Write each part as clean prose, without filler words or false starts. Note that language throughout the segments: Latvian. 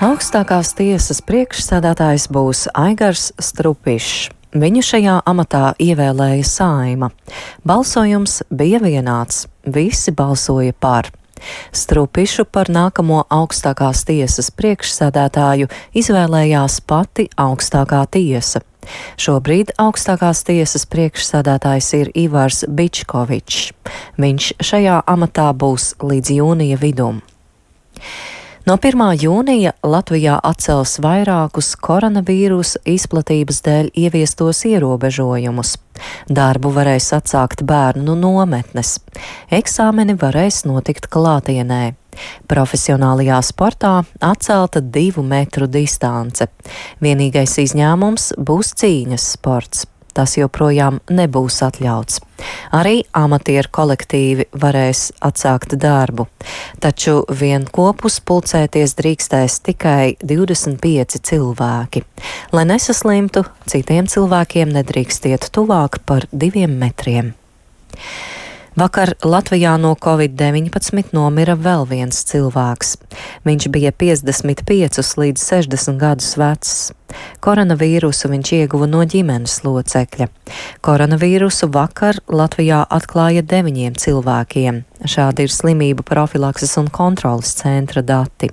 Augstākās tiesas priekšsēdētājs būs Aigars Strupišs. Viņu šajā amatā ievēlēja Saeima. Balsojums bija vienāds. Visi balsoja par. Strupišu par nākamo augstākās tiesas priekšsēdētāju izvēlējās pati augstākā tiesa. Šobrīd augstākās tiesas priekšsēdētājs ir Ivars Bičkovičs. Viņš šajā amatā būs līdz jūnija vidum. No 1. jūnija Latvijā atcels vairākus koronavīrusa izplatības dēļ ieviestos ierobežojumus. Darbu varēs atsākt bērnu nometnes. Eksāmeni varēs notikt klātienē. Profesionālajā sportā atcelta 2 metru distance. Vienīgais izņēmums būs cīņas sports. Tas joprojām nebūs atļauts. Arī amatieru kolektīvi varēs atsākt darbu, taču vienopus pulcēties drīkstēs tikai 25 cilvēki. Lai nesaslimtu, citiem cilvēkiem nedrīkst iet tuvāk par 2 metriem. Vakar Latvijā no Covid-19 nomira vēl viens cilvēks. Viņš bija 55 līdz 60 gadus vecs. Koronavīrusu viņš ieguva no ģimenes locekļa. Koronavīrusu vakar Latvijā atklāja 9 cilvēkiem. Šādi ir slimību profilakses un kontrolas centra dati.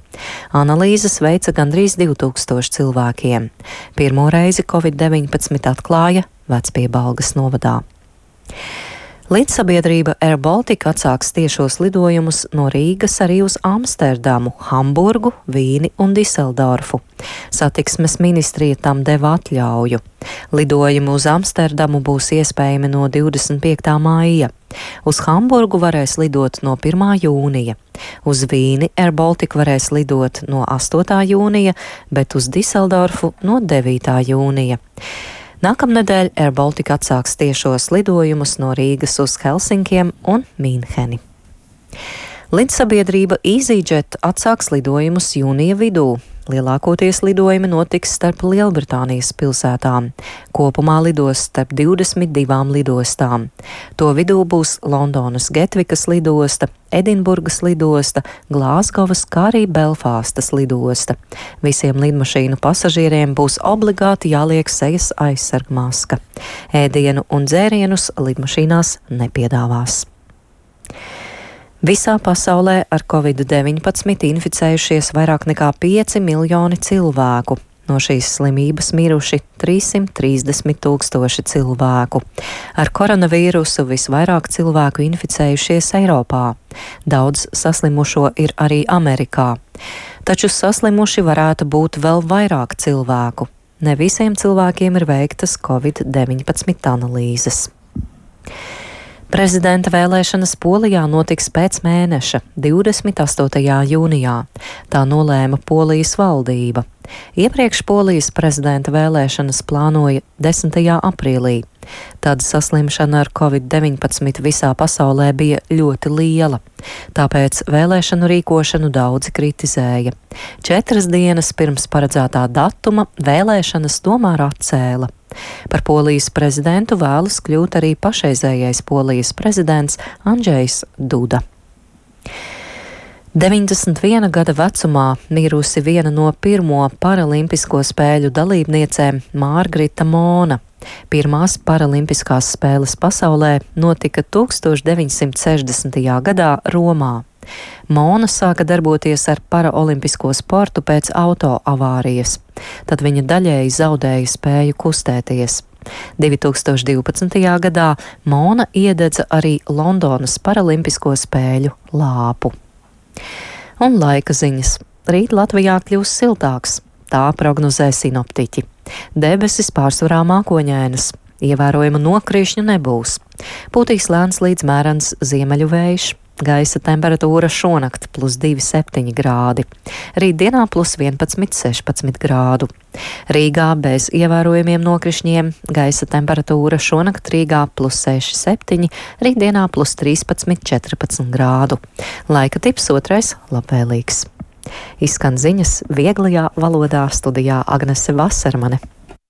Analīzes veica gandrīz 2000 cilvēkiem. Pirmo reizi Covid-19 atklāja Vecpiebalgas novadā. Līdzsabiedrība Air Baltica atsāks tiešos lidojumus no Rīgas arī uz Amsterdamu, Hamburgu, Vīni un Diseldorfu. Satiksmes ministrija tam deva atļauju. Lidojumi uz Amsterdamu būs iespējami no 25. māja. Uz Hamburgu varēs lidot no 1. jūnija. Uz Vīni Air Baltica varēs lidot no 8. jūnija, bet uz Diseldorfu no 9. jūnija. Nākamnedēļ Air Baltica atsāks tiešos lidojumus no Rīgas uz Helsinkiem un Mīnheni. Līdzsabiedrība EasyJet atsāks lidojumus jūnija vidū. Lielākoties lidojumi notiks starp Lielbritānijas pilsētām. Kopumā lidos starp 22 lidostām. To vidū būs Londonas Getvikas lidosta, Edinburgas lidosta, Glāzgovas, kā arī Belfāstas lidosta. Visiem lidmašīnu pasažieriem būs obligāti jāliek sejas aizsargmaska. Ēdienu un dzērienus lidmašīnās nepiedāvās. Visā pasaulē ar Covid-19 inficējušies vairāk nekā 5 miljoni cilvēku. No šīs slimības miruši 330 000 cilvēku. Ar koronavīrusu visvairāk cilvēku inficējušies Eiropā. Daudz saslimušo ir arī Amerikā. Taču saslimuši varētu būt vēl vairāk cilvēku. Ne visiem cilvēkiem ir veiktas Covid-19 analīzes. Prezidenta vēlēšanas Polijā notiks pēc mēneša, 28. jūnijā. Tā nolēma Polijas valdība. Iepriekš Polijas prezidenta vēlēšanas plānoja 10. aprīlī. Tad saslimšana ar Covid-19 visā pasaulē bija ļoti liela. Tāpēc vēlēšanu rīkošanu daudzi kritizēja. 4 dienas pirms paredzētā datuma vēlēšanas tomēr atcēla. Par Polijas prezidentu vēlas kļūt arī pašreizējais Polijas prezidents Andžejs Duda. 91 gada vecumā mirusi viena no pirmo paralimpisko spēļu dalībniecēm Mārgrita Mona. Pirmās paralimpiskās spēles pasaulē notika 1960. gadā Romā. Mona sāka darboties ar paraolimpisko sportu pēc autoavārijas. Tad viņa daļēji zaudēja spēju kustēties. 2012. gadā Mona iededza arī Londonas paralimpisko spēļu lāpu. Un laika ziņas. Rīt Latvijā kļūs siltāks. Tā prognozē sinoptiķi. Debesis pārsvarā mākoņainas. Ievērojama nokrišņu nebūs. Pūtīs lēns līdz mērens ziemeļu vējš. Gaisa temperatūra šonakt +2,7 grādi. Rītdienā +11,16 grādu. Rīgā bez ievērojamiem nokrišņiem. Gaisa temperatūra šonakt Rīgā +6,7, rītdienā +13,14 grādu. Laika tips 2. labvēlīgs. Izskan ziņas vieglajā valodā, studijā Agnese Vasermane.